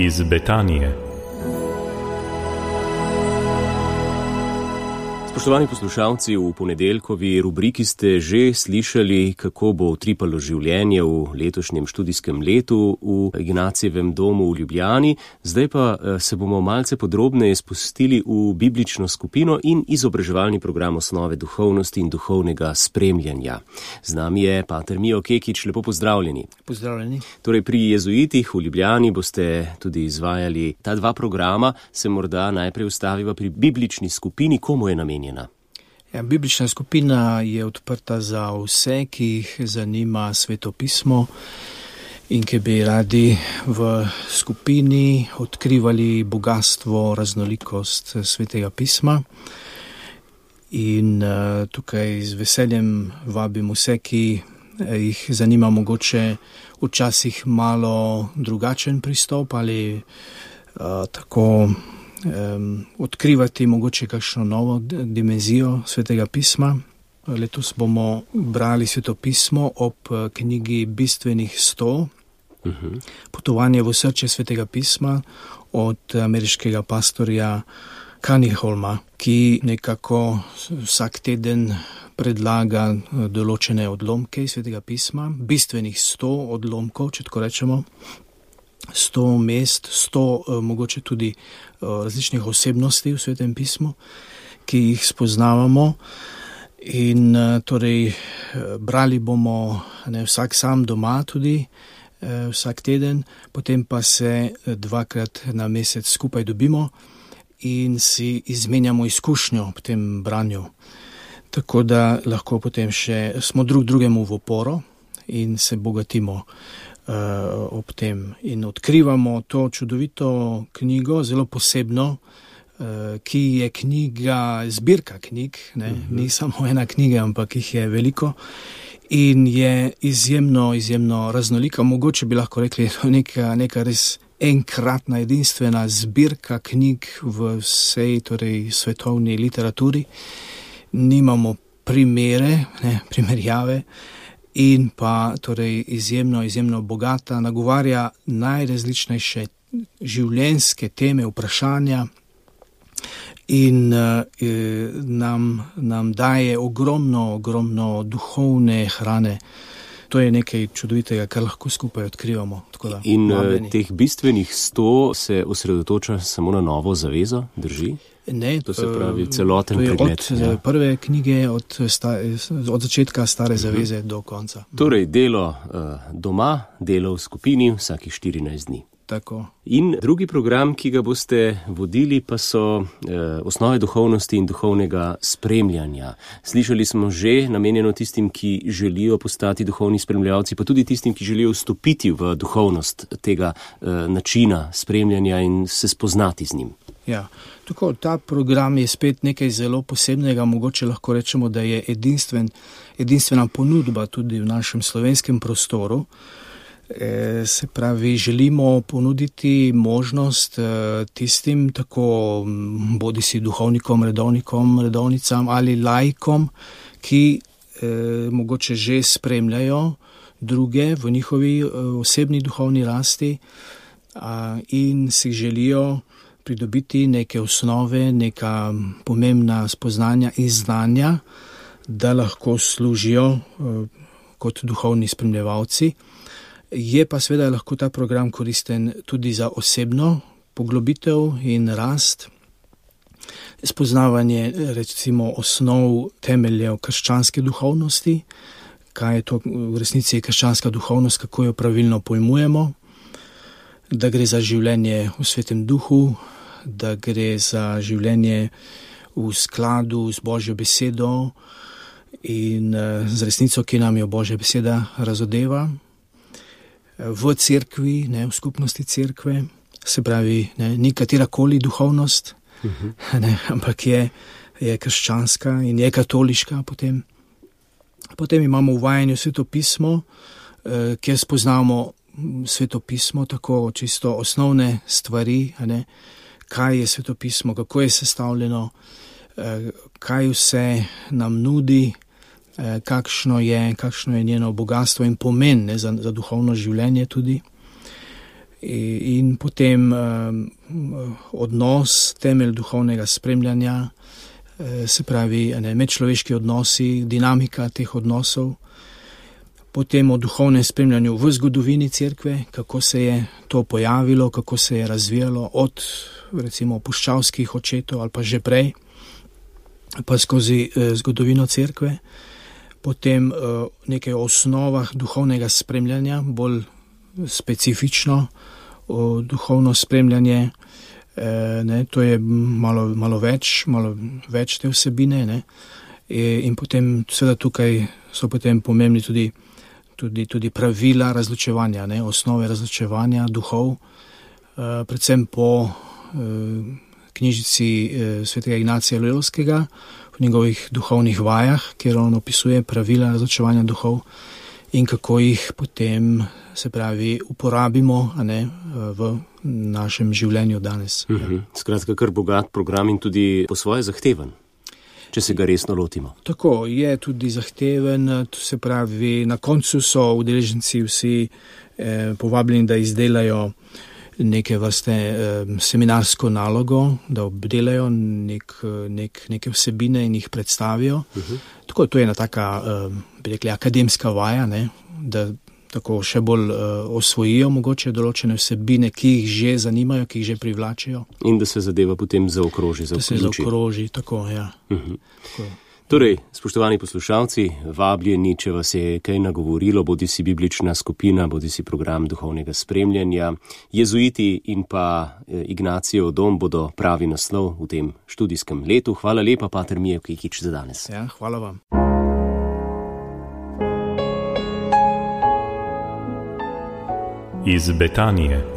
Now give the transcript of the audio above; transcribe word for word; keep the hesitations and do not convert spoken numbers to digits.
iz Betanije. Spoštovani poslušalci, v ponedeljkovi rubriki ste že slišali, kako bo utripalo življenje v letošnjem študijskem letu v Ignacijevem domu v Ljubljani. Zdaj pa se bomo malce podrobneje spustili v biblično skupino in izobraževalni program osnove duhovnosti in duhovnega spremljanja. Z nami je pater Mijo Kekič, lepo pozdravljeni. Pozdravljeni. Torej pri jezuitih v Ljubljani boste tudi izvajali ta dva programa, se morda najprej ustaviva pri biblični skupini, komu je namenjena? Ja, biblična skupina je odprta za vse, ki jih zanima Sveto pismo in ki bi radi v skupini odkrivali bogatstvo, raznolikost Svetega pisma. In uh, tukaj z veseljem vabim vse, ki jih zanima mogoče včasih malo drugačen pristop ali uh, tako Um, odkrivati mogoče kakšno novo dimenzijo Svetega pisma. Letos bomo brali Sveto pismo ob knjigi Bistvenih sto, uh-huh. Potovanje v srce Svetega pisma od ameriškega pastorja Cunninghama, ki nekako vsak teden predlaga določene odlomke iz Svetega pisma, bistvenih sto odlomkov, če tako rečemo. sto mest, sto uh, mogoče tudi uh, različnih osebnosti v Svetem pismu, ki jih spoznavamo. In uh, torej uh, brali bomo ne, vsak sam doma tudi, uh, vsak teden, potem pa se uh, dvakrat na mesec skupaj dobimo in si izmenjamo izkušnjo v tem branju. Tako da lahko potem še smo drug drugemu v oporo in se bogatimo Uh, ob tem in odkrivamo to čudovito knjigo, zelo posebno, uh, ki je knjiga, zbirka knjig, ne? Uh-huh. Ni samo ena knjiga, ampak jih je veliko in je izjemno, izjemno raznolika. Mogoče bi lahko rekli, da je neka, neka res enkratna, edinstvena zbirka knjig v vsej torej, svetovni literaturi. Nimamo primere, ne, primerjave. In pa torej izjemno, izjemno bogata, nagovarja najrazličnejše življenjske teme, vprašanja in eh, nam, nam daje ogromno, ogromno duhovne hrane. To je nekaj čudovitega, kar lahko skupaj odkrivamo. Tako da, in vabljeni. Teh bistvenih sto se osredotoča samo na Novo zavezo, drži? Ne, to se pravi celoten pregled. Od ja. prve knjige, od, sta, od začetka Stare zaveze uh-huh. do konca. Torej delo uh, doma, delo v skupini vsakih štirinajst dni. Tako. In drugi program, ki ga boste vodili, pa so eh, osnove duhovnosti in duhovnega spremljanja. Slišali smo že, namenjeno tistim, ki želijo postati duhovni spremljalci, pa tudi tistim, ki želijo vstopiti v duhovnost tega eh, načina spremljanja in se spoznati z njim. Ja, tako, ta program je spet nekaj zelo posebnega, mogoče lahko rečemo, da je edinstven, edinstvena ponudba tudi v našem slovenskem prostoru. E, se pravi, želimo ponuditi možnost e, tistim, tako bodi si duhovnikom, redovnikom, redovnicam ali laikom, ki e, mogoče že spremljajo druge v njihovi e, osebni duhovni rasti a, in si želijo pridobiti neke osnove, neka pomembna spoznanja in znanja, da lahko služijo e, kot duhovni spremljevalci. Je pa seveda lahko ta program koristen tudi za osebno poglobitev in rast, spoznavanje recimo osnov temeljev krščanske duhovnosti, kaj je to v resnici krščanska duhovnost, kako jo pravilno pojmujemo, da gre za življenje v Svetem duhu, da gre za življenje v skladu z Božjo besedo in z resnico, ki nam jo Božja beseda razodeva. V cerkvi, ne, v skupnosti cerkve, se pravi, ne, ni katerakoli duhovnost, uh-huh. ne, ampak je, je krščanska in je katoliška potem. Potem imamo uvajanje v Sveto pismo, eh, kjer spoznamo Sveto pismo, tako čisto osnovne stvari, ne, kaj je Sveto pismo, kako je sestavljeno, eh, kaj vse nam nudi, kakšno je, kakšno je njeno bogatstvo in pomen, ne, za, za duhovno življenje tudi. in potem odnos, temelj duhovnega spremljanja, se pravi ne, medčloveški odnosi, dinamika teh odnosov, potem o duhovnem spremljanju v zgodovini cerkve, kako se je to pojavilo, kako se je razvijalo od recimo puščavskih očetov ali pa že prej, pa skozi eh, zgodovino cerkve, potem eh, nekaj osnovah duhovnega spremljanja, bolj specifično o duhovno spremljanje, eh, ne, to je malo, malo več, malo več te vsebine, ne, e, in potem seveda tukaj so potem pomembni tudi, tudi, tudi pravila razločevanja, ne, osnove razločevanja duhov, eh, predvsem po eh, knjižici eh, svetega Ignacija Loyolskega, v njegovih duhovnih vajah, kjer on opisuje pravila razločevanja duhov in kako jih potem, se pravi, uporabimo, a ne, v našem življenju danes. Mhm. Skratka, kar bogat program in tudi po svoje zahteven, če se ga resno lotimo. Tako, je tudi zahteven, se pravi, na koncu so udeleženci vsi eh, povabljeni, da izdelajo neke vrste eh, seminarsko nalogo, da obdelajo nek, nek, neke vsebine in jih predstavijo. Uh-huh. Tako, to je ena taka, eh, bi rekli, akademska vaja, ne, da tako še bolj uh, osvojijo mogoče določene vsebine, ki jih že zanimajo, ki jih že privlačijo. In da se zadeva potem zaokroži, zaokroži. Da se zaokroži, tako, ja. Uh-huh. Tako. Torej, spoštovani poslušalci, vabljeni, če vas je kaj nagovorilo, bodi si biblična skupina, bodi si program duhovnega spremljanja. Jezuiti in pa Ignacijev dom bodo pravi naslov v tem študijskem letu. Hvala lepa, pater Mijo Kikič, za danes. Ja, hvala vam. Iz Betanije.